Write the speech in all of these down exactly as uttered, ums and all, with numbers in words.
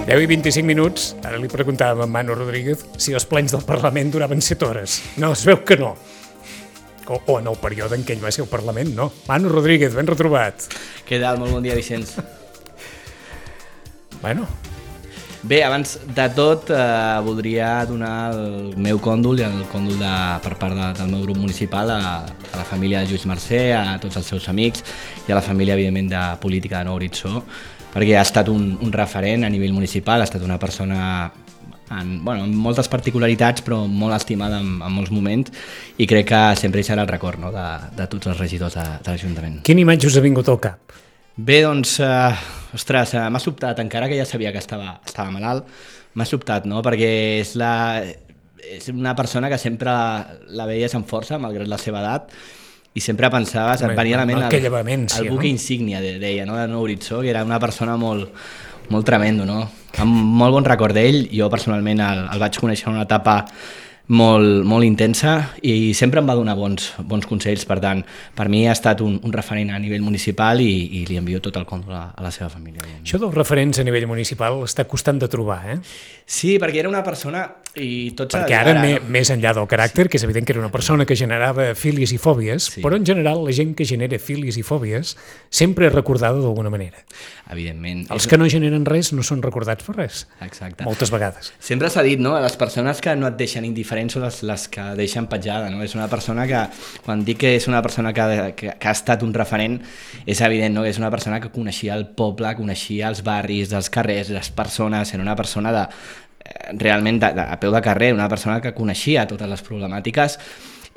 deu i vint-i-cinc minuts, ara li preguntàvem a Manu Rodríguez si els plens del Parlament duraven set hores. No, es veu que no. O, o en el període en què ell va ser al Parlament, no. Manu Rodríguez, ben retrobat. Què tal? Molt bon dia, Vicenç. Bueno. Bé, abans de tot, eh, voldria donar el meu còndol i el còndol de, per part de, del meu grup municipal a, a la família de Lluís Mercè, a tots els seus amics i a la família, evidentment, de política de Nou Horitzó, perquè ha estat un, un referent a nivell municipal, ha estat una persona en, bueno, amb moltes particularitats, però molt estimada en, en molts moments, i crec que sempre hi serà el record, no?, de, de tots els regidors de, de l'Ajuntament. Quina imatge us ha vingut al cap? Bé, doncs, eh, ostres, eh, m'ha sobtat, encara que ja sabia que estava, estava malalt, m'ha sobtat, no?, perquè és, la, és una persona que sempre la veies amb força, malgrat la seva edat, i sempre pensaves, et venia a la ment el, el buque no? insígnia, deia, no?, de Nou Horitzó, que era una persona molt, molt tremendo, no? Amb molt bon record d'ell. Jo personalment el, el vaig conèixer en una etapa molt, molt intensa i sempre em va donar bons, bons consells. Per tant, per mi ha estat un, un referent a nivell municipal i, i li envio tot el còndol a, a la seva família. Això dels referents a nivell municipal està costant de trobar, eh? Sí, perquè era una persona i tots... Perquè ara, ara no? més enllà del caràcter, sí. que és evident que era una persona que generava fílies i fòbies, sí. però en general la gent que genera fílies i fòbies sempre és recordada d'alguna manera. Evidentment. Els que no generen res no són recordats per res. Exacte. Moltes vegades. Sempre s'ha dit, no?, les persones que no et deixen indiferent són les, les que deixen petjada, no? És una persona que, quan dic que és una persona que, que, que ha estat un referent, és evident, no?, que és una persona que coneixia el poble, coneixia els barris, els carrers, les persones, era una persona de realment de, de, a peu de carrer, una persona que coneixia totes les problemàtiques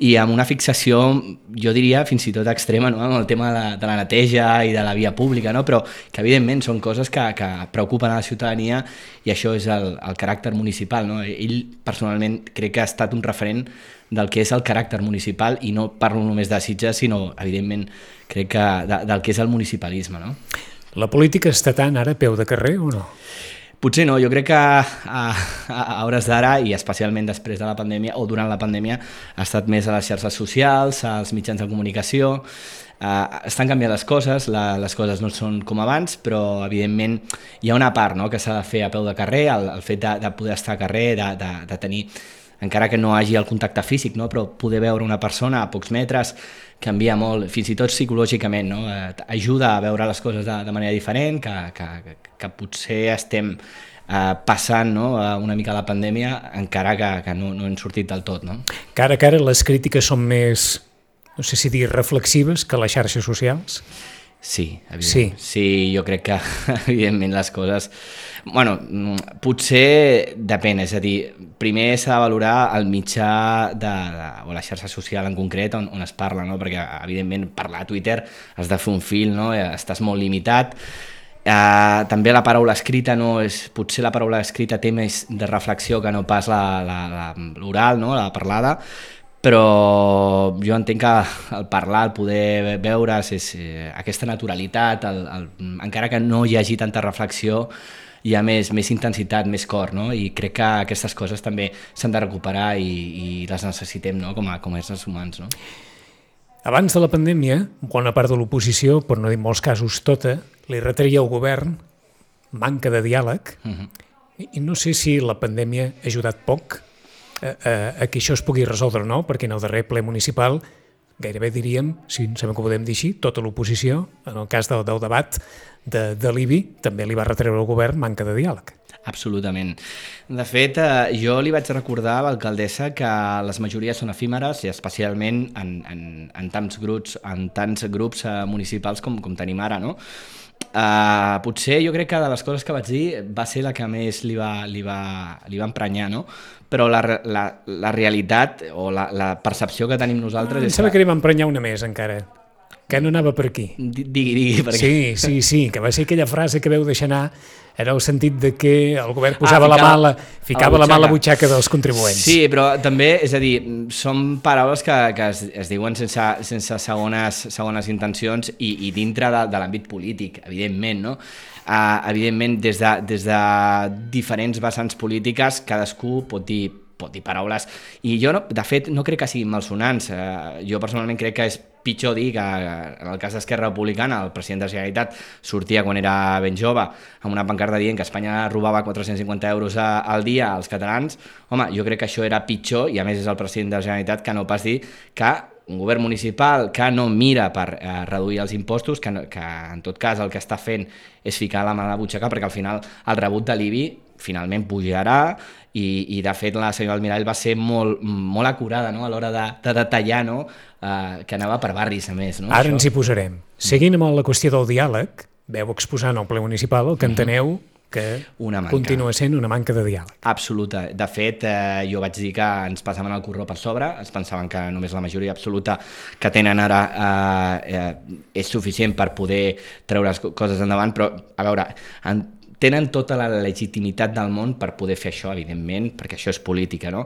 i amb una fixació, jo diria, fins i tot extrema, no?, amb el tema de la, de la neteja i de la via pública, no?, però que evidentment són coses que, que preocupen a la ciutadania i això és el, el caràcter municipal, no? Ell personalment crec que ha estat un referent del que és el caràcter municipal i no parlo només de Sitges, sinó evidentment crec que de, del que és el municipalisme, no? La política està tant ara a peu de carrer o no? Potser no, jo crec que a, a, a hores d'ara, i especialment després de la pandèmia o durant la pandèmia, ha estat més a les xarxes socials, als mitjans de comunicació. Uh, estan canviant les coses, la, les coses no són com abans, però evidentment hi ha una part, no?, que s'ha de fer a peu de carrer, el, el fet de, de poder estar a carrer, de, de, de tenir, encara que no hagi el contacte físic, no?, però poder veure una persona a pocs metres canvia molt, fins i tot psicològicament, no? Eh, ajuda a veure les coses de, de manera diferent, que, que, que potser estem eh, passant, no?, una mica la pandèmia, encara que, que no, no hem sortit del tot, no? Cara a cara les crítiques són més, no sé si dir reflexives que les xarxes socials? Sí, evidentment. Sí. sí, jo crec que evidentment les coses... Bueno, potser depèn, és a dir, primer s'ha de valorar el mitjà de, de, o la xarxa social en concret on, on es parla, no?, perquè evidentment parlar a Twitter has de fer un fil, no?, estàs molt limitat. Uh, també la paraula escrita, no, és, potser la paraula escrita té més de reflexió que no pas l'oral, no?, la parlada, però jo entenc que el parlar, el poder veure és, eh, aquesta naturalitat, el, el, encara que no hi hagi tanta reflexió, hi ha més, més intensitat, més cor, no? I crec que aquestes coses també s'han de recuperar i, i les necessitem, no?, com a, com a éssers humans, no? Abans de la pandèmia, bona part de l'oposició, per no dir en molts casos tota, li retreia al govern manca de diàleg, uh-huh. I, i no sé si la pandèmia ha ajudat poc a, a, a que això es pugui resoldre o no, perquè en el darrer ple municipal gairebé diríem, si sabem que ho podem dir així, tota l'oposició, en el cas del, del debat de, de l'I B I, també li va retreure al govern manca de diàleg. Absolutament. De fet, eh, jo li vaig recordar a l'alcaldessa que les majories són efímeres i especialment en, en, en tants grups, en tants grups eh, municipals com, com tenim ara, no? Uh, potser jo crec que de les coses que vaig dir va ser la que més li va, li va, li va emprenyar, no? Però la, la, la realitat o la, la percepció que tenim nosaltres... Ah, em sembla que li va emprenyar una més encara, que no anava per aquí. Digui, digui, per aquí. Sí, sí, sí, que va ser aquella frase que veu deixar anar, era el sentit de que el govern posava ah, ficava, la mà, la, ficava la mà a la butxaca dels contribuents. Sí, però també, és a dir, són paraules que, que es, es diuen sense, sense segones, segones intencions i, i dintre de, de l'àmbit polític, evidentment, no? Uh, evidentment, des de, des de diferents vessants polítiques, cadascú pot dir pot dir paraules, i jo, no, de fet, no crec que siguin malsonants. Eh, jo personalment crec que és pitjor dir que en el cas d'Esquerra Republicana el president de la Generalitat sortia quan era ben jove amb una pancarta dient que Espanya robava quatre-cents cinquanta euros a, al dia als catalans. Home, jo crec que això era pitjor, i a més és el president de la Generalitat, que no pas dir que un govern municipal que no mira per eh, reduir els impostos, que, no, que en tot cas el que està fent és ficar la mà a la butxaca, perquè al final el rebut de l'I B I finalment pujarà, i, i de fet la senyora Almirall va ser molt, molt acurada, no?, a l'hora de, de detallar, no?, eh, que anava per barris a més. No? Ara això ens hi posarem. Seguint amb la qüestió del diàleg, veu exposant al ple municipal el que enteneu que continua sent una manca de diàleg. Absoluta. De fet, eh, jo vaig dir que ens passaven el corró per sobre, es pensaven que només la majoria absoluta que tenen ara eh, eh, és suficient per poder treure les coses endavant, però, a veure, en, tenen tota la legitimitat del món per poder fer això, evidentment, perquè això és política, no?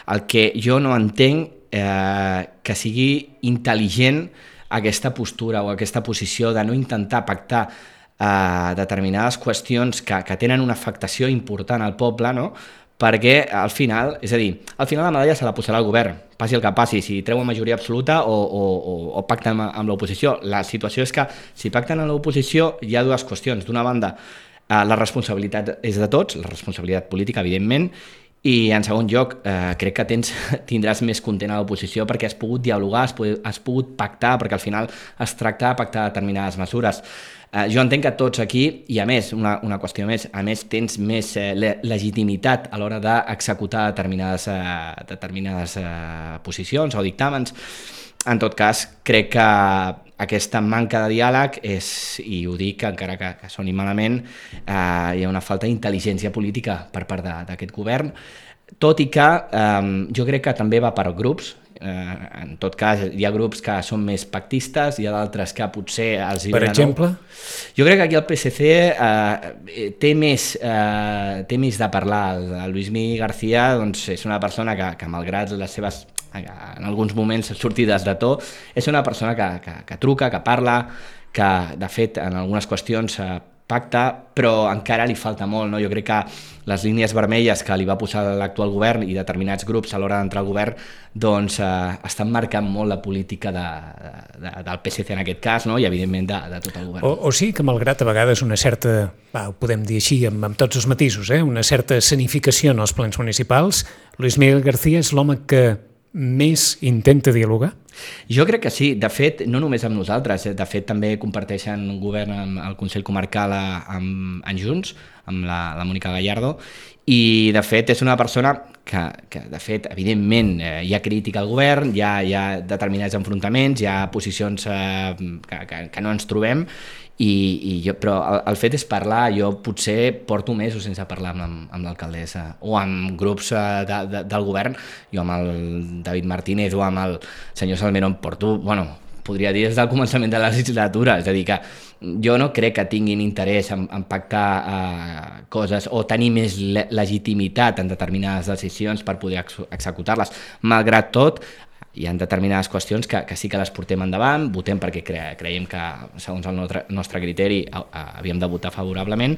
El que jo no entenc eh, que sigui intel·ligent aquesta postura o aquesta posició de no intentar pactar eh, determinades qüestions que, que tenen una afectació important al poble, no?, perquè al final, és a dir, al final la medalla se la posarà el govern, passi el que passi, si treuen majoria absoluta o, o, o, o pacten amb, amb l'oposició. La situació és que si pacten amb l'oposició hi ha dues qüestions. D'una banda, eh, la responsabilitat és de tots, la responsabilitat política, evidentment, i en segon lloc, eh, crec que tens, tindràs més content a l'oposició perquè has pogut dialogar, has pogut, has pogut pactar, perquè al final es tracta de pactar determinades mesures. Eh, jo entenc que tots aquí, i a més, una, una qüestió més, a més tens més eh, le legitimitat a l'hora d'executar determinades, eh, determinades eh, posicions o dictàmens. En tot cas, crec que aquesta manca de diàleg és, i ho dic encara que, que soni malament, eh, hi ha una falta d'intel·ligència política per part d'aquest govern, tot i que eh, jo crec que també va per grups. Eh, en tot cas, hi ha grups que són més pactistes, hi ha d'altres que potser els... Per exemple? Jo crec que aquí el P S C eh, té, més, eh, té més de parlar. El Luismi García doncs, és una persona que, que malgrat les seves, en alguns moments, sortides de to, és una persona que, que, que truca, que parla, que de fet en algunes qüestions eh, pacta, però encara li falta molt, no? Jo crec que les línies vermelles que li va posar l'actual govern i determinats grups a l'hora d'entrar al govern doncs eh, estan marcant molt la política de, de, del P S C en aquest cas, no? I evidentment de, de tot el govern. O, o sí que malgrat a vegades una certa, va, ho podem dir així amb, amb tots els matisos, eh? una certa escenificació en els plens municipals, Luis Miguel García és l'home que més intenta dialogar? Jo crec que sí, de fet, no només amb nosaltres, de fet també comparteixen un govern amb el Consell Comarcal amb, amb Junts, amb la, la Mònica Gallardo, i de fet és una persona que, que de fet, evidentment, eh, hi ha crítica al govern, hi ha, hi ha determinats enfrontaments, hi ha posicions eh, que, que, que no ens trobem, i, i jo, però el, el fet és parlar. Jo potser porto mesos sense parlar amb, amb l'alcaldessa o amb grups de, de, del govern, jo amb el David Martínez o amb el senyor Salmerón porto, bueno, podria dir des del començament de la legislatura, és a dir que jo no crec que tinguin interès en, en pactar eh, coses o tenir més le legitimitat en determinades decisions per poder ex executar-les. Malgrat tot, hi ha determinades qüestions que, que sí que les portem endavant, votem perquè cre creiem que, segons el nostre, nostre criteri, a, a, havíem de votar favorablement,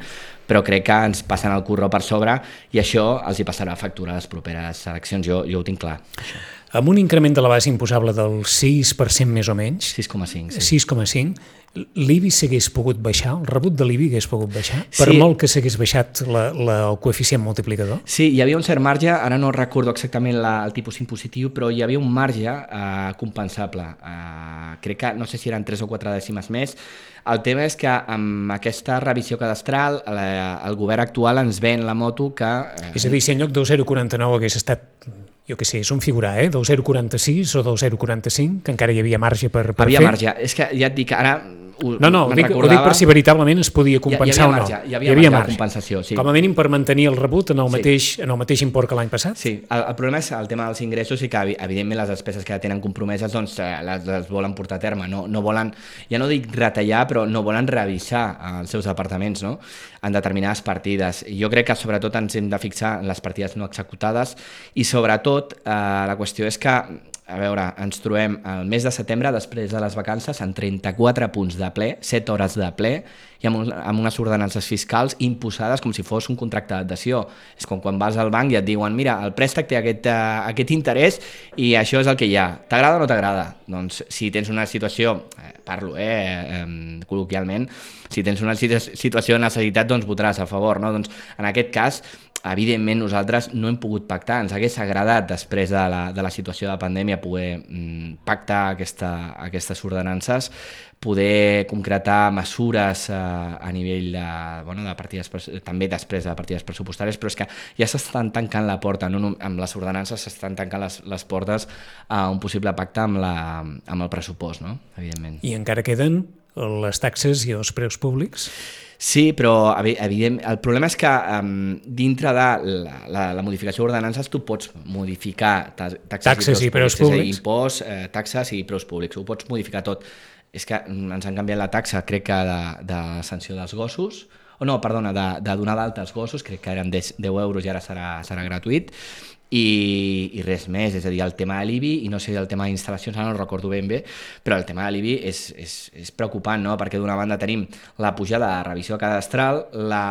però crec que ens passen el curro per sobre i això els hi passarà factura a les properes eleccions, jo, jo ho tinc clar. Això. Amb un increment de la base imposable del sis per cent més o menys, sis coma cinc, sí. sis coma cinc, l'I B I s'hagués pogut baixar, el rebut de l'I B I hagués pogut baixar, per sí. molt que s'hagués baixat la, la, el coeficient multiplicador? Sí, hi havia un cert marge, ara no recordo exactament la, el tipus impositiu, però hi havia un marge eh, compensable. Eh, crec que, no sé si eren tres o quatre dècimes més. El tema és que amb aquesta revisió cadastral la, el govern actual ens ven la moto que... Eh... És a dir, si en lloc del zero coma quaranta-nou hagués estat... jo què sé, és un figurar, eh? del zero coma quaranta sis o del zero coma quaranta cinc, que encara hi havia marge per, per havia fer. Havia marge, és que ja et dic, ara... Ho, no, no, ho dic, ho dic per si veritablement es podia compensar hi, hi o no. Marge, hi havia, hi havia marge, marge de compensació, sí. Com a mínim per mantenir el rebut en el, sí. mateix, en el mateix import que l'any passat? Sí, el, el problema és el tema dels ingressos i que evidentment les despeses que tenen compromeses doncs les, les volen portar a terme, no, no volen, ja no dic retallar, però no volen revisar els seus departaments, no?, en determinades partides. I jo crec que sobretot ens hem de fixar en les partides no executades i sobretot eh, la qüestió és que a veure, ens trobem el mes de setembre, després de les vacances, en trenta-quatre punts de ple, set hores de ple, i amb, un, amb unes ordenances fiscals imposades com si fos un contracte d'adhesió. És com quan vas al banc i et diuen, mira, el préstec té aquest, uh, aquest interès i això és el que hi ha. T'agrada o no t'agrada? Doncs si tens una situació, eh, parlo eh, eh, col·loquialment, si tens una situació de necessitat, doncs votaràs a favor, no? Doncs en aquest cas, evidentment nosaltres no hem pogut pactar, ens hagués agradat després de la, de la situació de pandèmia poder mm, pactar aquesta, aquestes ordenances, poder concretar mesures eh, a nivell de, bueno, de partides, també després de partides pressupostàries, però és que ja s'estan tancant la porta, no? Amb les ordenances s'estan tancant les, les portes a un possible pacte amb, la, amb el pressupost, no? Evidentment. I encara queden les taxes i els preus públics? Sí, però evident, el problema és que um, dintre de la, la, la modificació d'ordenances tu pots modificar taxes, taxes i preus públics, públics. Imposts, eh, taxes i preus públics, ho pots modificar tot. És que ens han canviat la taxa, crec que de, de sanció dels gossos, o no, perdona, de, de donar d'alta als gossos, crec que eren deu euros i ara serà, serà gratuït, i, i res més, és a dir, el tema de l'I B I, i no sé el tema d'instal·lacions, ara no recordo ben bé, però el tema de l'I B I és, és, és preocupant, no? Perquè d'una banda tenim la pujada de la revisió cadastral, la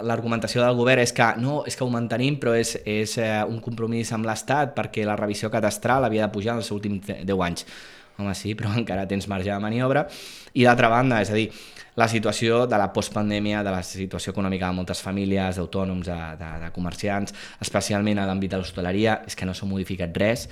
l'argumentació del govern és que no, és que ho mantenim, però és, és eh, un compromís amb l'Estat perquè la revisió cadastral havia de pujar en els últims deu anys. Home, sí, però encara tens marge de maniobra. I d'altra banda, és a dir, la situació de la postpandèmia, de la situació econòmica de moltes famílies, d'autònoms, de, de, de comerciants, especialment a l'àmbit de l'hostaleria, és que no s'ha modificat res.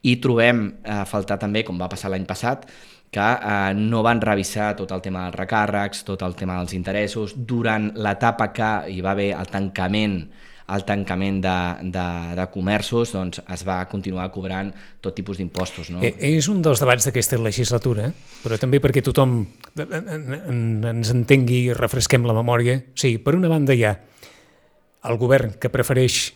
I trobem a eh, faltar també, com va passar l'any passat, que eh, no van revisar tot el tema dels recàrrecs, tot el tema dels interessos, durant l'etapa que hi va haver el tancament el tancament de, de, de comerços, doncs es va continuar cobrant tot tipus d'impostos. No? És un dels debats d'aquesta legislatura, però també perquè tothom ens entengui i refresquem la memòria. Sí, per una banda hi ha el govern que prefereix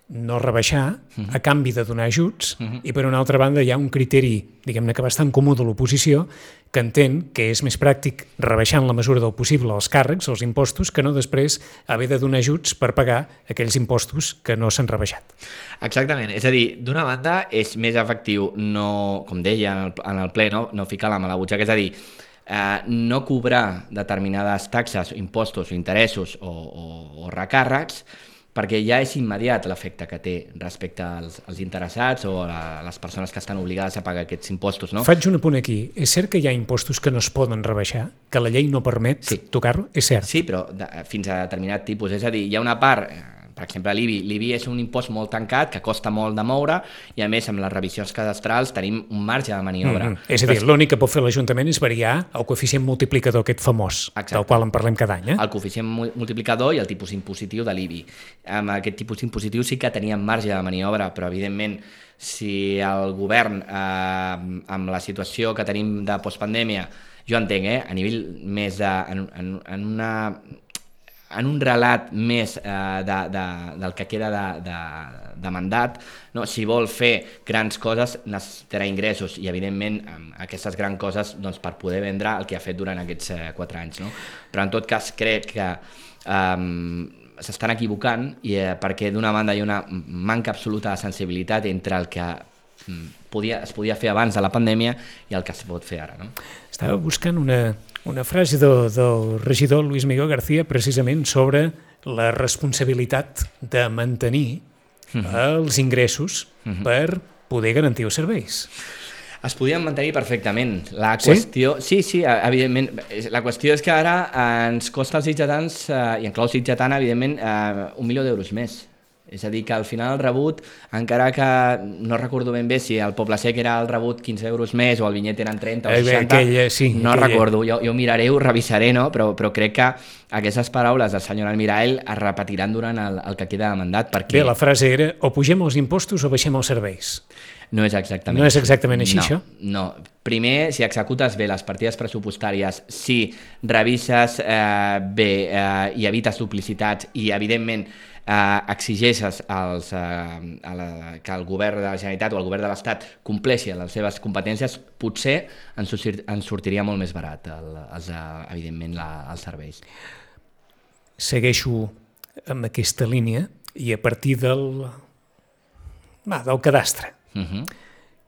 no rebaixar uh-huh. a canvi de donar ajuts uh-huh. i per una altra banda hi ha un criteri, diguem-ne que bastant comú de l'oposició, que entén que és més pràctic rebaixar en la mesura del possible els càrrecs, els impostos, que no després haver de donar ajuts per pagar aquells impostos que no s'han rebaixat. Exactament, és a dir, d'una banda és més efectiu no, com deia en el, en el ple, no, no ficar la mà a la butxaca, és a dir, eh, no cobrar determinades taxes, impostos, interessos o, o, o recàrrecs, perquè ja és immediat l'efecte que té respecte als, als interessats o a les persones que estan obligades a pagar aquests impostos. No? Faig un apunt aquí. És cert que hi ha impostos que no es poden rebaixar? Que la llei no permet sí. tocar-lo? És cert. Sí, però de, fins a determinat tipus. És a dir, hi ha una part... Per exemple, l'I B I. L'I B I és un impost molt tancat, que costa molt de moure, i a més, amb les revisions cadastrals tenim un marge de maniobra. Mm-hmm. És a dir, l'únic que pot fer l'Ajuntament és variar el coeficient multiplicador aquest famós, Exacte. Del qual en parlem cada any. Eh? El coeficient multiplicador i el tipus impositiu de l'I B I. Amb aquest tipus impositiu sí que teníem marge de maniobra, però evidentment, si el govern, eh, amb la situació que tenim de postpandèmia, jo entenc, eh, a nivell més de... En, en, en una... en un relat més eh, de, de, del que queda de, de, de mandat, no? Si vol fer grans coses necessitarà ingressos i evidentment aquestes grans coses doncs, per poder vendre el que ha fet durant aquests eh, quatre anys. No? Però en tot cas crec que eh, s'estan equivocant i, eh, perquè d'una banda hi ha una manca absoluta de sensibilitat entre el que podia, es podia fer abans de la pandèmia i el que es pot fer ara. No? Estava buscant una... Una frase del, del regidor Luis Miguel García precisament sobre la responsabilitat de mantenir uh-huh. els ingressos uh-huh. per poder garantir els serveis. Es podien mantenir perfectament. La qüestió... Sí, sí, sí, evidentment. La qüestió és que ara ens costa als sitjatans, eh, i en clau sitjatana, evidentment, eh, un milió d'euros més. És a dir, que al final el rebut, encara que no recordo ben bé si el Poble Sec era el rebut quinze euros més o el Vinyet eren trenta o seixanta, aquella, sí, no aquella. recordo, jo, jo miraré, ho revisaré, no? però, però crec que aquestes paraules del senyor Almirall es repetiran durant el, el que queda de mandat. Perquè... Bé, la frase era o pugem els impostos o baixem els serveis. No és exactament, no és exactament així, no, això? No. Primer, si executes bé les partides pressupostàries, si revises eh, bé eh, i evites duplicitats i, evidentment, eh, exigeixes als, eh, a la, que el govern de la Generalitat o el govern de l'Estat compleixi les seves competències, potser ens, sortir, ens sortiria molt més barat, el, els, evidentment, la, els serveis. Segueixo amb aquesta línia i a partir del, va, del cadastre. Uh-huh.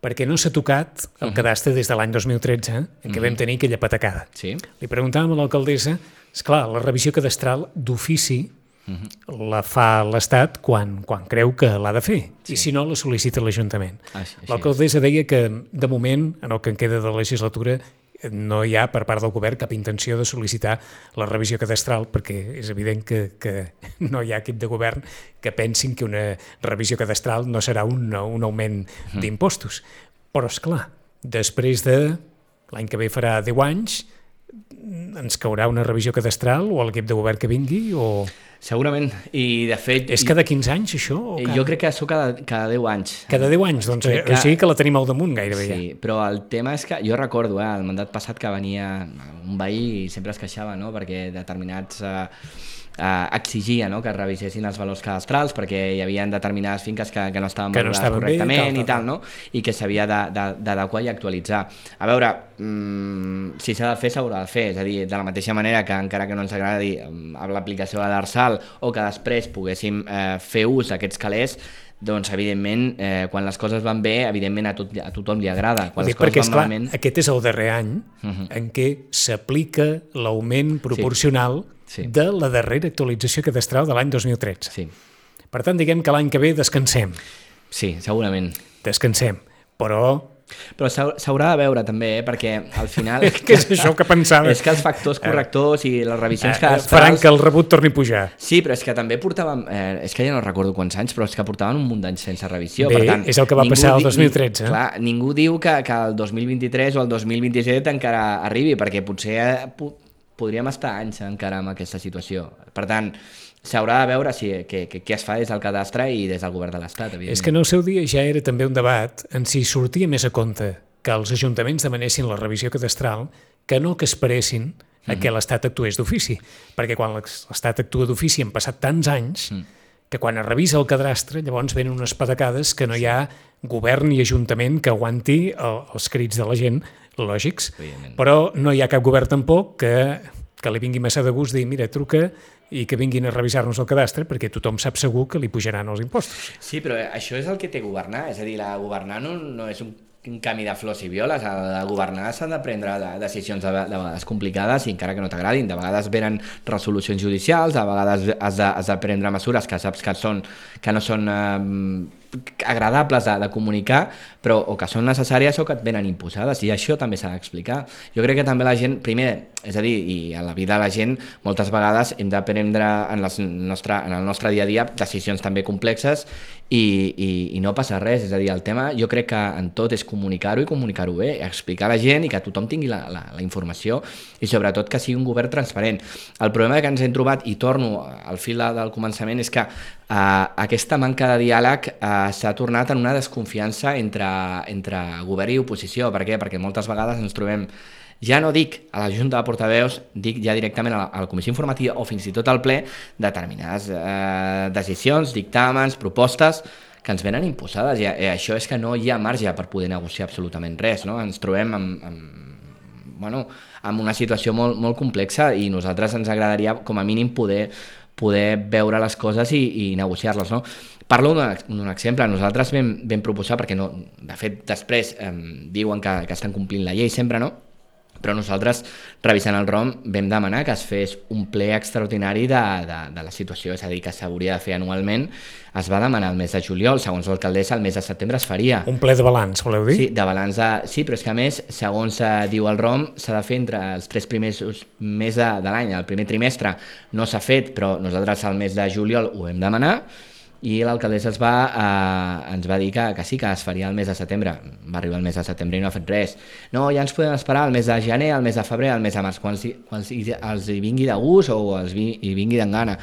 perquè no s'ha tocat el cadastre des de l'any dos mil tretze, en què vam tenir aquella patacada. Sí. Li preguntàvem a l'alcaldessa, esclar, la revisió cadastral d'ofici la fa l'Estat quan, quan creu que l'ha de fer, sí. I si no, la sol·licita l'Ajuntament. Ah, sí, l'alcaldessa deia que, de moment, en el que en queda de la legislatura, no hi ha, per part del govern, cap intenció de sol·licitar la revisió cadastral, perquè és evident que, que no hi ha equip de govern que pensin que una revisió cadastral no serà un, un augment d'impostos. Però, és clar, després de l'any que ve farà deu anys, ens caurà una revisió cadastral o l'equip de govern que vingui o... Segurament, i de fet... És cada quinze anys, això? O cada... Jo crec que això cada, cada deu anys. Cada deu anys, doncs que... o sigui que la tenim al damunt gairebé. Sí, ja. Però el tema és que jo recordo, eh, el mandat passat que venia un veí i sempre es queixava, no?, perquè determinats... Eh, Uh, exigia, no?, que es revisessin els valors cadastrals perquè hi havia determinades finques que, que no estaven que no valorades estaven correctament bé, tal, i tal, no? I que s'havia d'adequar i actualitzar. A veure, mmm, si s'ha de fer, s'haurà de fer, és a dir, de la mateixa manera que encara que no ens agradi amb l'aplicació de l'Arsal o que després poguéssim eh, fer ús d'aquests calés, doncs evidentment eh, quan les coses van bé, evidentment a, tot, a tothom li agrada. Quan les coses perquè, van esclar, malament... aquest és el darrer any uh-huh. en què s'aplica l'augment proporcional sí. Sí. de la darrera actualització cadastral de l'any dos mil tretze. Sí. Per tant, diguem que l'any que ve descansem. Sí, segurament. Descansem, però... Però s'haurà de veure també, eh? Perquè al final... Què és això que pensava? És que els factors correctors i les revisions cadastrals... faran que el rebut torni a pujar. Sí, però és que també portàvem... Eh, és que ja no recordo quants anys, però és que portaven un munt d'anys sense revisió. Bé, per tant, és el que va passar el dos mil tretze. Di... Clar, ningú diu que, que el dos mil vint-i-tres o el dos mil vint-i-set encara arribi, perquè potser... Eh, podríem estar anys encara en aquesta situació. Per tant, s'haurà de veure si, què, què es fa des del cadastre i des del govern de l'Estat, evidentment. És que en el seu dia ja era també un debat en si sortia més a compte que els ajuntaments demanessin la revisió cadastral que no que esperessin a mm. que l'Estat actués d'ofici. Perquè quan l'Estat actua d'ofici han passat tants anys mm. que quan es revisa el cadastre llavors venen unes patacades que no hi ha govern i ajuntament que aguanti el, els crits de la gent lògics, però no hi ha cap govern tampoc que, que li vingui massa de gust dir, mira, truca i que vinguin a revisar-nos el cadastre perquè tothom sap segur que li pujaran els impostos. Sí, però això és el que té governar, és a dir, la governar no, no és un un camí de flors i violes, a governar s'han de prendre decisions de, de vegades complicades i encara que no t'agradin, de vegades venen resolucions judicials, de vegades has de, has de prendre mesures que saps que, són, que no són eh, agradables de, de comunicar, però o que són necessàries o que et venen imposades, i això també s'ha d'explicar. Jo crec que també la gent, primer, és a dir, i a la vida de la gent, moltes vegades hem de prendre en, les nostre, en el nostre dia a dia decisions també complexes i, i, i no passa res, és a dir, el tema jo crec que en tot és comunicar-ho i comunicar-ho bé, explicar a la gent i que tothom tingui la, la, la informació i sobretot que sigui un govern transparent. El problema que ens hem trobat, i torno al fil del començament, és que eh, aquesta manca de diàleg eh, s'ha tornat en una desconfiança entre, entre govern i oposició. Per què? Perquè moltes vegades ens trobem, ja no dic a la Junta de Portaveus, dic ja directament a la, a la Comissió Informativa o fins i tot al ple, determinades eh, decisions, dictàmens, propostes que ens venen imposades, i, i això és que no hi ha marge per poder negociar absolutament res, no? Ens trobem amb, amb, bueno, amb una situació molt, molt complexa i nosaltres ens agradaria com a mínim poder, poder veure les coses i, i negociar-les, no? Parlo d'un exemple, nosaltres vam, vam proposar, perquè no, de fet després eh, diuen que, que estan complint la llei sempre, no? Però nosaltres, revisant el ROM, vam demanar que es fes un ple extraordinari de, de, de la situació, és a dir, que s'hauria de fer anualment. Es va demanar el mes de juliol, segons l'alcaldessa, el mes de setembre es faria. Un ple de balanç, voleu dir? Sí, de balanç de... sí, però és que a més, segons eh, diu el ROM, s'ha de fer entre els tres primers mesos de, de l'any. El primer trimestre no s'ha fet, però nosaltres al mes de juliol ho vam demanar, i l'alcaldessa es va, eh, ens va dir que, que sí, que es faria el mes de setembre. Va arribar el mes de setembre i no ha fet res. No, ja ens podem esperar el mes de gener, el mes de febrer, el mes de març, quan, quan els hi vingui de gust o els hi vingui d'en gana.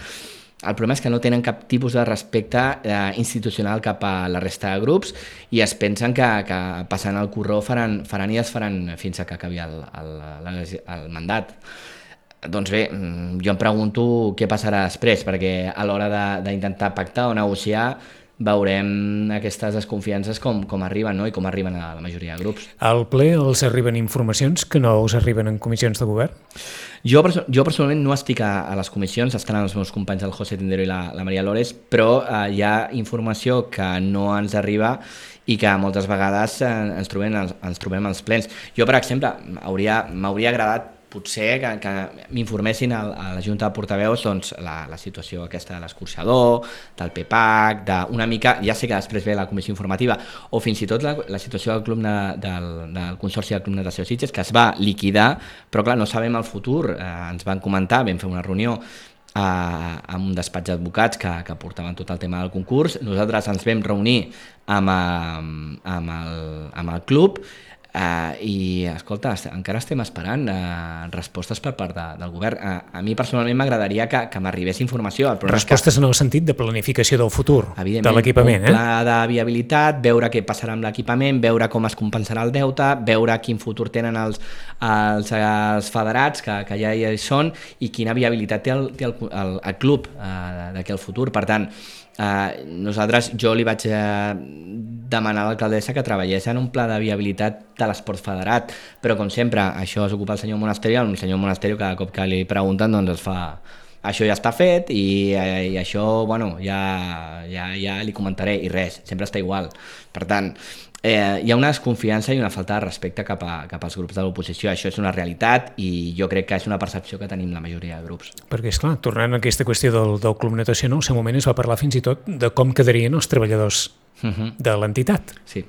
El problema és que no tenen cap tipus de respecte eh, institucional cap a la resta de grups i es pensen que, que passant el corró faran, faran i es faran fins a que acabi el, el, el, el mandat. Doncs bé, jo em pregunto què passarà després, perquè a l'hora d'intentar pactar o negociar veurem aquestes desconfiances com, com arriben, no? I com arriben a la majoria de grups. Al ple els arriben informacions que no us arriben en comissions de govern? Jo, jo personalment no estic a, a les comissions, estan els meus companys el José Tindero i la, la Maria Lores, però eh, hi ha informació que no ens arriba i que moltes vegades eh, ens, trobem, ens, ens trobem als plens. Jo, per exemple, m'hauria agradat potser que, que m'informessin a, a la Junta de Portaveus doncs, la, la situació aquesta de l'escorxador, del P P A C, d'una mica, ja sé que després ve la comissió informativa, o fins i tot la, la situació del, club de, del, del Consorci del Club Natació Sitges, que es va liquidar, però clar, no sabem el futur. Eh, ens van comentar, vam fer una reunió a, amb un despatx d'advocats que, que portaven tot el tema del concurs. Nosaltres ens vam reunir amb, amb, el, amb el club, Uh, i escolta, encara estem esperant uh, respostes per part de, del govern. Uh, a mi personalment m'agradaria que, que m'arribés informació. Respostes que, en el sentit de planificació del futur de l'equipament. Un pla eh? de viabilitat, veure què passarà amb l'equipament, veure com es compensarà el deute, veure quin futur tenen els, els, els federats que, que ja hi són i quina viabilitat té el, té el, el, el club uh, d'aquí al futur. Per tant, Uh, nosaltres, jo li vaig uh, demanar a l'alcaldessa que treballés en un pla de viabilitat de l'esport federat, però com sempre això es ocupa el senyor Monasterio, el senyor Monasterio cada cop que li pregunten doncs es fa això ja està fet i, i això, bueno, ja, ja, ja li comentaré i res, sempre està igual. Per tant, eh, hi ha una desconfiança i una falta de respecte cap, a, cap als grups de l'oposició. Això és una realitat i jo crec que és una percepció que tenim la majoria de grups. Perquè, esclar, tornant a aquesta qüestió del, del Club Natació, no? Al seu moment es va parlar fins i tot de com quedarien els treballadors uh-huh. de l'entitat. Sí.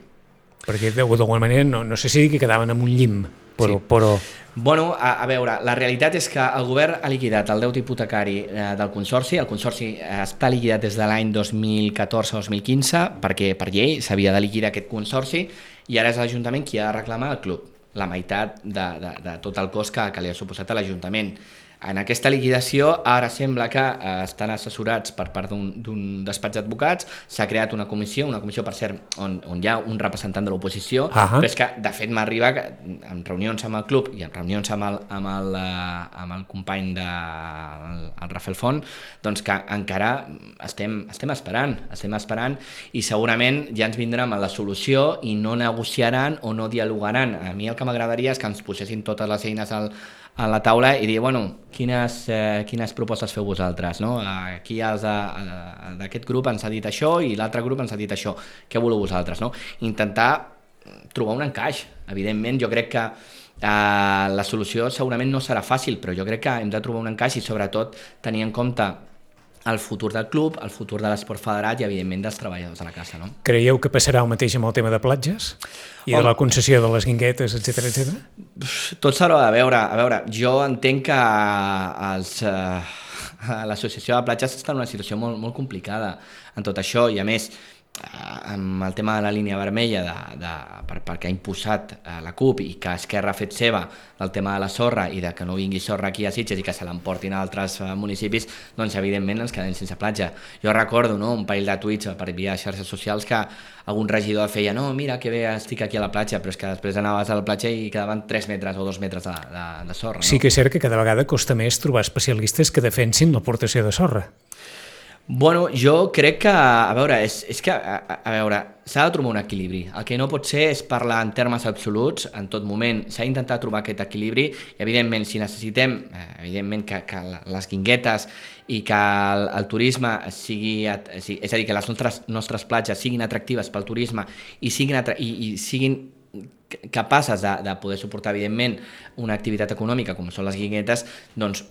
Perquè d'alguna manera, no, no sé si que quedaven en un llim, però... Sí. però... Bueno, a, a veure, la realitat és que el govern ha liquidat el deute hipotecari eh, del Consorci. El Consorci eh, està liquidat des de l'any dos mil catorze dos mil quinze, perquè per llei s'havia de liquidar aquest Consorci, i ara és l'Ajuntament qui ha de reclamar al club la meitat de, de, de tot el cost que, que li ha suposat a l'Ajuntament. En aquesta liquidació ara sembla que eh, estan assessorats per part d'un despatx d'advocats, s'ha creat una comissió, una comissió per cert on, on hi ha un representant de l'oposició, uh-huh. però és que de fet m'arriba en reunions amb el club i en reunions amb el, amb el, uh, amb el company de el, el Rafael Font, doncs que encara estem, estem esperant, estem esperant i segurament ja ens vindrem a la solució i no negociaran o no dialogaran. A mi el que m'agradaria és que ens posessin totes les eines al a la taula i dir, bueno, quines, eh, quines propostes feu vosaltres, no? Aquí d'aquest grup ens ha dit això i l'altre grup ens ha dit això, què voleu vosaltres, no? Intentar trobar un encaix. Evidentment, jo crec que eh, la solució segurament no serà fàcil, però jo crec que hem de trobar un encaix i sobretot tenir en compte el futur del club, el futur de l'esport federat i, evidentment, dels treballadors de la casa, no? Creieu que passarà el mateix amb el tema de platges? I de la concessió de les guinguetes, etcètera, etcètera? Tot s'haurà de veure. A veure, jo entenc que els, eh, l'associació de platges està en una situació molt, molt complicada en tot això i, a més, amb el tema de la línia vermella de, de, per, perquè ha imposat eh, la CUP i que Esquerra ha fet seva el tema de la sorra i de que no vingui sorra aquí a Sitges i que se l'emportin a altres eh, municipis, doncs evidentment ens quedem sense platja. Jo recordo, no, un parell de tuits per via xarxes socials que algun regidor feia, no, mira que bé estic aquí a la platja, però és que després anaves a la platja i quedaven tres metres o dos metres de, de, de sorra. No? Sí que és cert que cada vegada costa més trobar especialistes que defensin l'aportació de sorra. Bueno, jo crec que, a veure, és, és que, a, a veure, s'ha de trobar un equilibri. El que no pot ser és parlar en termes absoluts en tot moment. S'ha d'intentar trobar aquest equilibri i, evidentment, si necessitem, evidentment, que, que les guinguetes i que el, el turisme sigui, és a dir, que les nostres, nostres platges siguin atractives pel turisme i siguin, i, i siguin capaces de, de poder suportar, evidentment, una activitat econòmica com són les guinguetes, doncs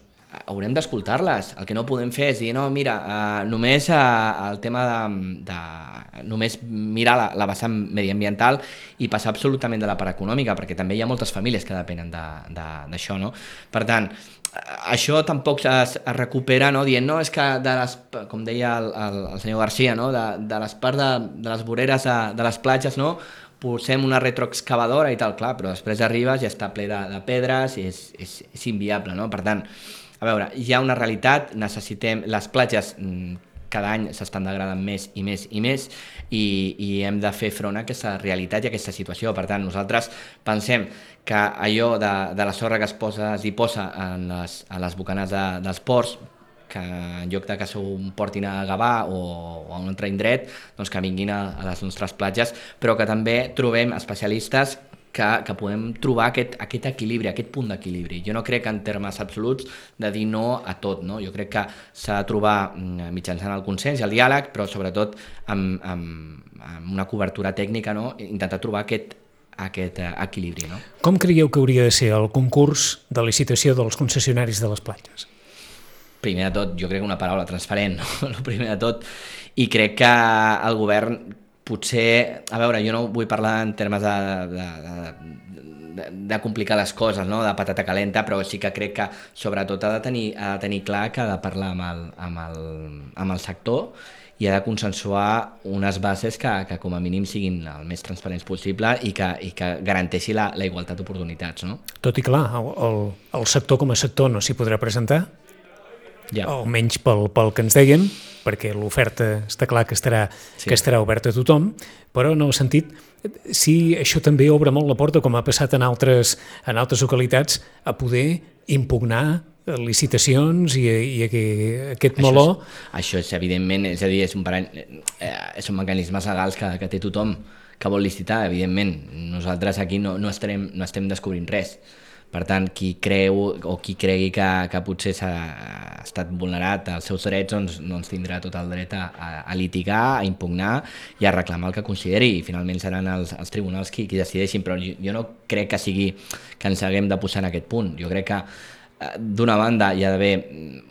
haurem d'escoltar-les. El que no podem fer és dir, no, mira, uh, només uh, el tema de, de només mirar la, la vessant mediambiental i passar absolutament de la part econòmica, perquè també hi ha moltes famílies que depenen d'això, no? Per tant, això tampoc es, es recupera, no? Dient, no, és que, de les, com deia el, el, el senyor Garcia, no? de, de les parts de, de les voreres de, de les platges, no? Posem una retroexcavadora i tal, clar, però després arribes i està ple de, de pedres i és, és, és inviable, no? Per tant, a veure, hi ha una realitat, necessitem, les platges cada any s'estan degradant més i més i més i, i hem de fer front a aquesta realitat i a aquesta situació. Per tant, nosaltres pensem que allò de, de la sorra que es, posa, es diposa en les, en les bocanes de, dels ports, que en lloc de que s'ho portin a Gavà o, o a un altre indret, doncs que vinguin a, a les nostres platges, però que també trobem especialistes que, que podem trobar aquest, aquest equilibri, aquest punt d'equilibri. Jo no crec en termes absoluts de dir no a tot, no? Jo crec que s'ha de trobar mitjançant el consens i el diàleg, però sobretot amb, amb, amb una cobertura tècnica, no? Intentar trobar aquest, aquest equilibri, no? Com creieu que hauria de ser el concurs de licitació dels concessionaris de les platges? Primer de tot, jo crec que una paraula transparent, no? El primer de tot, i crec que el govern potser, a veure, jo no vull parlar en termes de, de, de, de complicar les coses, no? De patata calenta, però sí que crec que sobretot ha de tenir, ha de tenir clar que ha de parlar amb el, amb el, amb el sector i ha de consensuar unes bases que, que com a mínim siguin el més transparents possible i que, i que garanteixi la, la igualtat d'oportunitats, no? Tot i clar, el, el, el sector com a sector no s'hi podrà presentar, ja. Almenys pel, pel que ens deien, perquè l'oferta està clar que estarà, sí. que estarà oberta a tothom, però en el sentit, si això també obre molt la porta, com ha passat en altres, en altres localitats, a poder impugnar licitacions i, i aquest això meló... És, això és evidentment, és a dir, és un parany, eh, són mecanismes legals que, que té tothom que vol licitar, evidentment. Nosaltres aquí no, no, estarem, no estem descobrint res. Per tant, qui creu o qui cregui que, que potser s'ha estat vulnerat els seus drets, doncs, doncs tindrà tot el dret a, a, a litigar, a impugnar i a reclamar el que consideri, i finalment seran els, els tribunals qui, qui decideixin, però jo, jo no crec que sigui que ens haguem de posar en aquest punt. Jo crec que d'una banda hi ha d'haver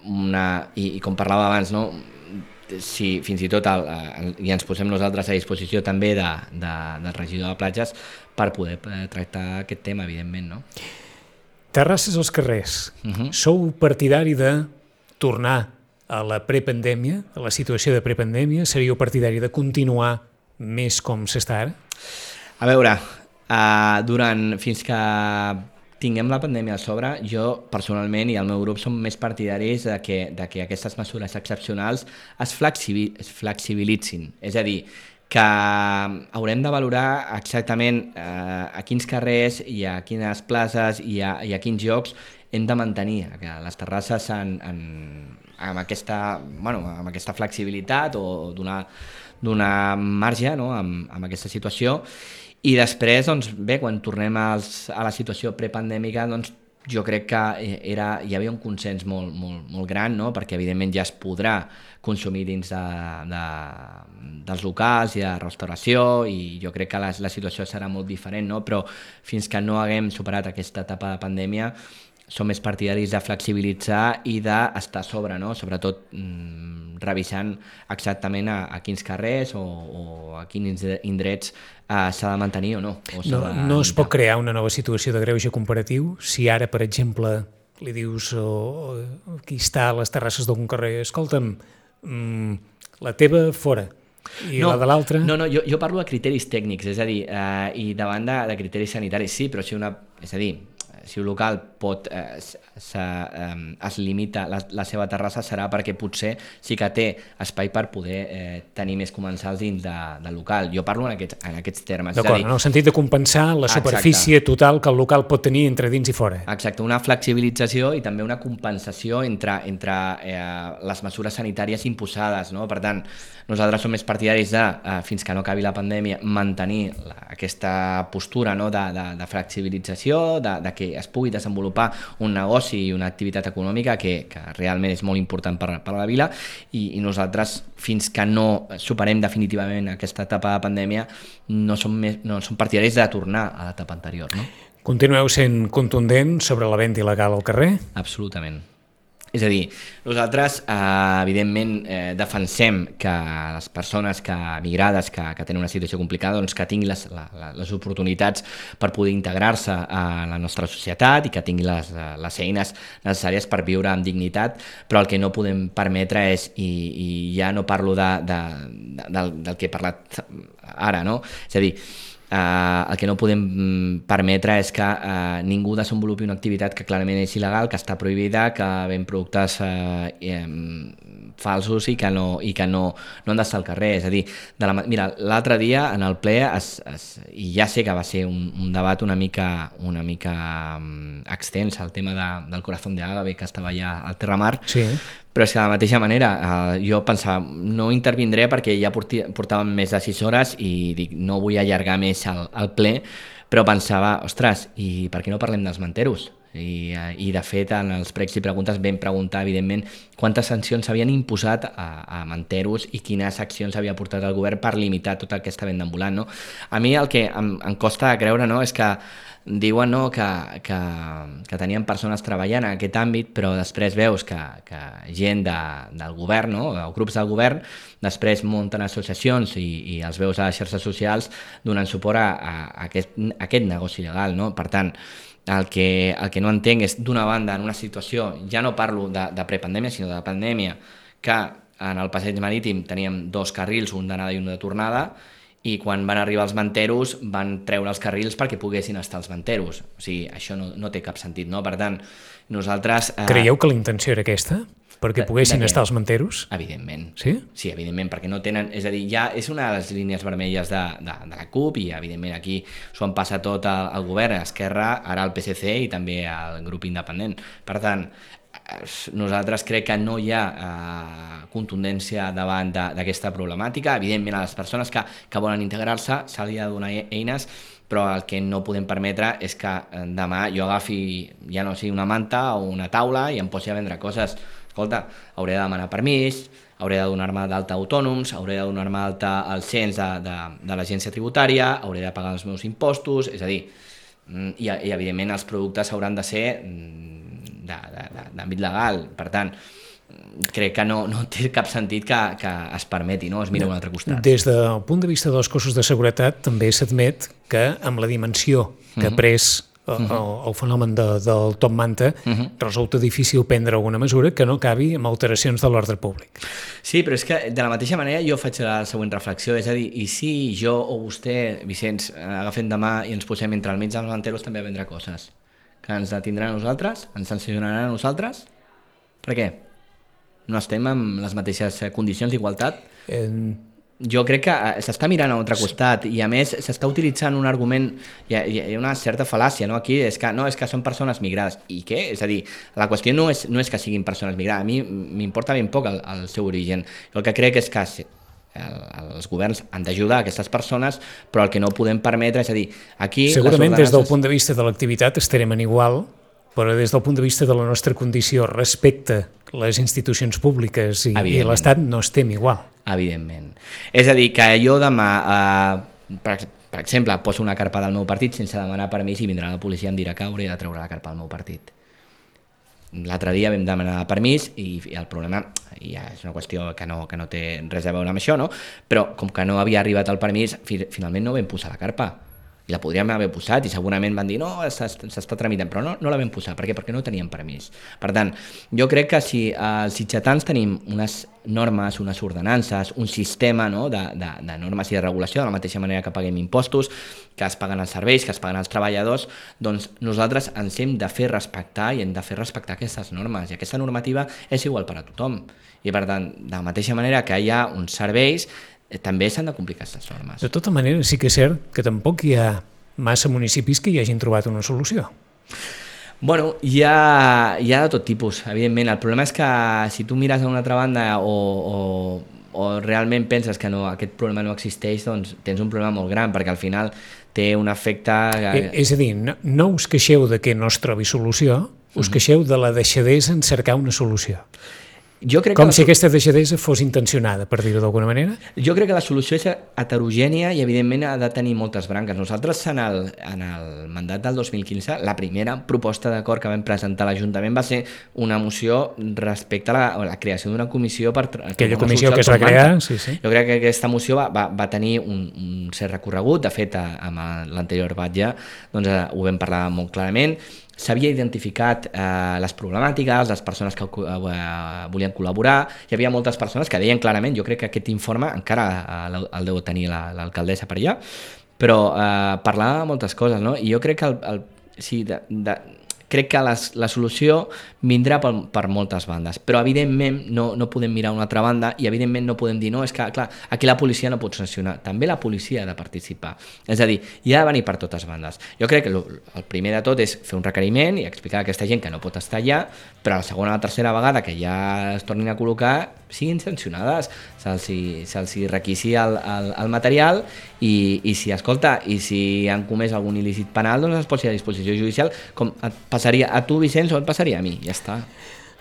una, i, i com parlava abans, no? Si fins i tot el, el, i ens posem nosaltres a disposició també de, de, del regidor de platges per poder tractar aquest tema, evidentment, no? Terrasses als carrers. Uh-huh. Sou partidari de tornar a la prepandèmia, a la situació de prepandèmia? Seríeu partidari de continuar més com s'està ara? A veure, uh, durant, fins que tinguem la pandèmia a sobre, jo personalment i el meu grup som més partidaris de que, de que aquestes mesures excepcionals es, flexibil, es flexibilitzin. És a dir, que haurem de valorar exactament eh, a quins carrers i a quines places i a, i a quins llocs hem de mantenir que les terrasses en, en, amb, aquesta, bueno, amb aquesta flexibilitat o donar, donar marge, no? amb, amb aquesta situació. I després, doncs, bé, quan tornem als, a la situació prepandèmica, doncs, jo crec que era, hi havia un consens molt, molt, molt gran, no? Perquè evidentment ja es podrà consumir dins de, de, dels locals i de restauració, i jo crec que la, la situació serà molt diferent, no? Però fins que no haguem superat aquesta etapa de pandèmia som més partidaris de flexibilitzar i d'estar a sobre, no? Sobretot mmm, revisant exactament a, a quins carrers o, o a quins indrets eh, s'ha de mantenir o no. O no, no es pot crear una nova situació de greuge comparatiu si ara, per exemple, li dius o, o qui està a les terrasses d'algun carrer, escolta'm, mmm, la teva fora, i no, la de l'altra... No, no, jo, jo parlo de criteris tècnics, és a dir, eh, i davant de, de criteris sanitaris, sí, però si una... És a dir, si un local pot, eh, se, eh, es limita la, la seva terrassa serà perquè potser sí que té espai per poder eh, tenir més comensals dins de, del local. Jo parlo en aquests, en aquests termes. D'acord, en el sentit de compensar la superfície Exacte. Total que el local pot tenir entre dins i fora. Exacte, una flexibilització i també una compensació entre, entre eh, les mesures sanitàries imposades, no? Per tant, nosaltres som més partidaris de, eh, fins que no acabi la pandèmia, mantenir la, aquesta postura, no? de, de, de flexibilització, de, de que es pugui desenvolupar un negoci i una activitat econòmica que, que realment és molt important per, per a la vila, i, i nosaltres fins que no superem definitivament aquesta etapa de pandèmia no som, més, no som partidaris de tornar a l'etapa anterior, no? Continueu sent contundent sobre la venda il·legal al carrer? Absolutament. És a dir, nosaltres eh, evidentment eh, defensem que les persones que migrades que, que tenen una situació complicada doncs que tinguin les, la, les oportunitats per poder integrar-se a la nostra societat i que tinguin les, les eines necessàries per viure amb dignitat, però el que no podem permetre és, i, i ja no parlo de, de, de, del, del que he parlat ara, no? És a dir, Uh, el que no podem permetre és que uh, ningú desenvolupi una activitat que clarament és il·legal, que està prohibida, que ven productes uh, falsos i que no, i que no, no han d'estar al carrer. És a dir, de la, mira, l'altre dia en el ple, es, es, i ja sé que va ser un, un debat una mica, una mica um, extens, el tema de, del Corazón de Ágave, que estava allà al Terramar, sí. Però és que de la mateixa manera eh, jo pensava, no intervindré perquè ja porti, portàvem més de sis hores i dic, no vull allargar més el, el ple, però pensava, ostres, i per què no parlem dels manteros? I, i de fet en els pregs i preguntes vam preguntar evidentment quantes sancions s'havien imposat a, a manteros i quines accions havia portat el govern per limitar tota aquesta venda ambulant, no? A mi el que em, em costa creure, no, és que diuen, no, que, que, que tenien persones treballant en aquest àmbit, però després veus que, que gent de, del govern, no, o grups del govern, després munten associacions i, i els veus a les xarxes socials donant suport a, a, a, aquest, a aquest negoci legal, no? Per tant, el que, el que no entenc és, d'una banda, en una situació, ja no parlo de, de prepandèmia, sinó de pandèmia, que en el passeig marítim teníem dos carrils, un d'anada i un de tornada, i quan van arribar els manteros van treure els carrils perquè poguessin estar els manteros. O sigui, això no, no té cap sentit, no? Per tant, nosaltres... Eh... Creieu que la intenció era aquesta? Perquè poguessin estar els manteros? Evidentment. Sí? Sí, evidentment, perquè no tenen... És a dir, ja és una de les línies vermelles de, de, de la CUP i, evidentment, aquí s'ho han passat tot al, al govern, a Esquerra, ara al P S C i també al grup independent. Per tant, nosaltres crec que no hi ha eh, contundència davant d'aquesta problemàtica. Evidentment, a les persones que, que volen integrar-se s'ha de donar eines, però el que no podem permetre és que demà jo agafi, ja no sigui una manta o una taula i em posi a vendre coses. Escolta, hauré de demanar permís, hauré de donar-me d'alta autònoms, hauré de donar-me d'alta al cens de, de, de l'agència tributària, hauré de pagar els meus impostos, és a dir, i, i evidentment els productes hauran de ser d'àmbit legal. Per tant, crec que no, no té cap sentit que, que es permeti, no? Es mira a un altre costat. Des del punt de vista dels cossos de seguretat també s'admet que amb la dimensió que ha pres el, el fenomen de, del top manta uh-huh. resulta difícil prendre alguna mesura que no acabi amb alteracions de l'ordre públic. Sí, però és que de la mateixa manera jo faig la següent reflexió, és a dir, i si jo o vostè, Vicenç, agafem demà i ens posem entre al mig dels manteros també a vendre coses, que ens detindran a nosaltres, ens sancionaran a nosaltres? Per què? No estem en les mateixes condicions d'igualtat? Eh... Jo crec que s'està mirant a un altre costat i a més s'està utilitzant un argument, hi ha, hi ha una certa fal·làcia, no? Aquí és que, no, és que són persones migrades. I què? És a dir, la qüestió no és, no és que siguin persones migrades, a mi m'importa ben poc el, el seu origen. Jo el que crec és que el, els governs han d'ajudar a aquestes persones, però el que no podem permetre és a dir, aquí... Segurament ordenances... des del punt de vista de l'activitat estarem en igual, però des del punt de vista de la nostra condició respecte a les institucions públiques i, i l'Estat no estem igual. Evidentment. És a dir, que jo demà, eh, per, per exemple, poso una carpa del meu partit sense demanar permís i vindrà la policia i em dirà que hauré de treure la carpa del meu partit. L'altre dia vam demanar permís i, i el problema ja és una qüestió que no, que no té res a veure amb això, no? Però com que no havia arribat el permís, fi, finalment no vam posar la carpa. I la podríem haver posat i segurament van dir no, s'està tramitant, però no, no la vam posar. Per què? Perquè no teníem permís. Per tant, jo crec que si els sitgetans tenim unes normes, unes ordenances, un sistema, no, de, de, de normes i de regulació, de la mateixa manera que paguem impostos, que es paguen els serveis, que es paguen els treballadors, doncs nosaltres ens hem de fer respectar i hem de fer respectar aquestes normes. I aquesta normativa és igual per a tothom. I per tant, de la mateixa manera que hi ha uns serveis, també s'han de complir aquestes normes. De tota manera, sí que és cert que tampoc hi ha massa municipis que hi hagin trobat una solució. Bueno, hi ha, hi ha de tot tipus, evidentment. El problema és que si tu mires a una altra banda o, o, o realment penses que no, aquest problema no existeix, doncs tens un problema molt gran, perquè al final té un efecte... Eh, és a dir, no, no us queixeu de que no es trobi solució, us uh-huh. queixeu de la deixadesa en cercar una solució. Jo crec Com que si la... aquesta deixadesa fos intencionada, per dir-ho d'alguna manera? Jo crec que la solució és heterogènia i evidentment ha de tenir moltes branques. Nosaltres en el, en el mandat del dos mil quinze la primera proposta d'acord que vam presentar a l'Ajuntament va ser una moció respecte a la, a la creació d'una comissió per... Aquella comissió que es va crear, sí, sí. Jo crec que aquesta moció va, va, va tenir un, un cert recorregut, de fet amb l'anterior batlle doncs, ho vam parlar molt clarament. S'havia identificat eh, les problemàtiques, les persones que eh, volien col·laborar, hi havia moltes persones que deien clarament, jo crec que aquest informe encara eh, el deu tenir l'alcaldessa per allà, però eh, parlava de moltes coses, no? I jo crec que, el, el, sí, de, de, crec que les, la solució vindrà per, per moltes bandes, però evidentment no, no podem mirar una altra banda i evidentment no podem dir, no, és que clar, aquí la policia no pot sancionar, també la policia ha de participar, és a dir, hi ha de venir per totes bandes. Jo crec que el primer de tot és fer un requeriment i explicar a aquesta gent que no pot estar allà, però la segona o la tercera vegada que ja es tornin a col·locar siguin sancionades, se'ls se requisi el, el, el material i, i si, escolta, i si han comès algun il·lícit penal, doncs es posi a disposició judicial, com et passaria a tu, Vicenç, o et passaria a mi, ja està.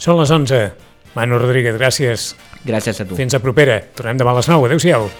Són les onze. Manu Rodríguez, gràcies. Gràcies a tu. Fins a propera. Tornem demà a les nou. Adéu-siau.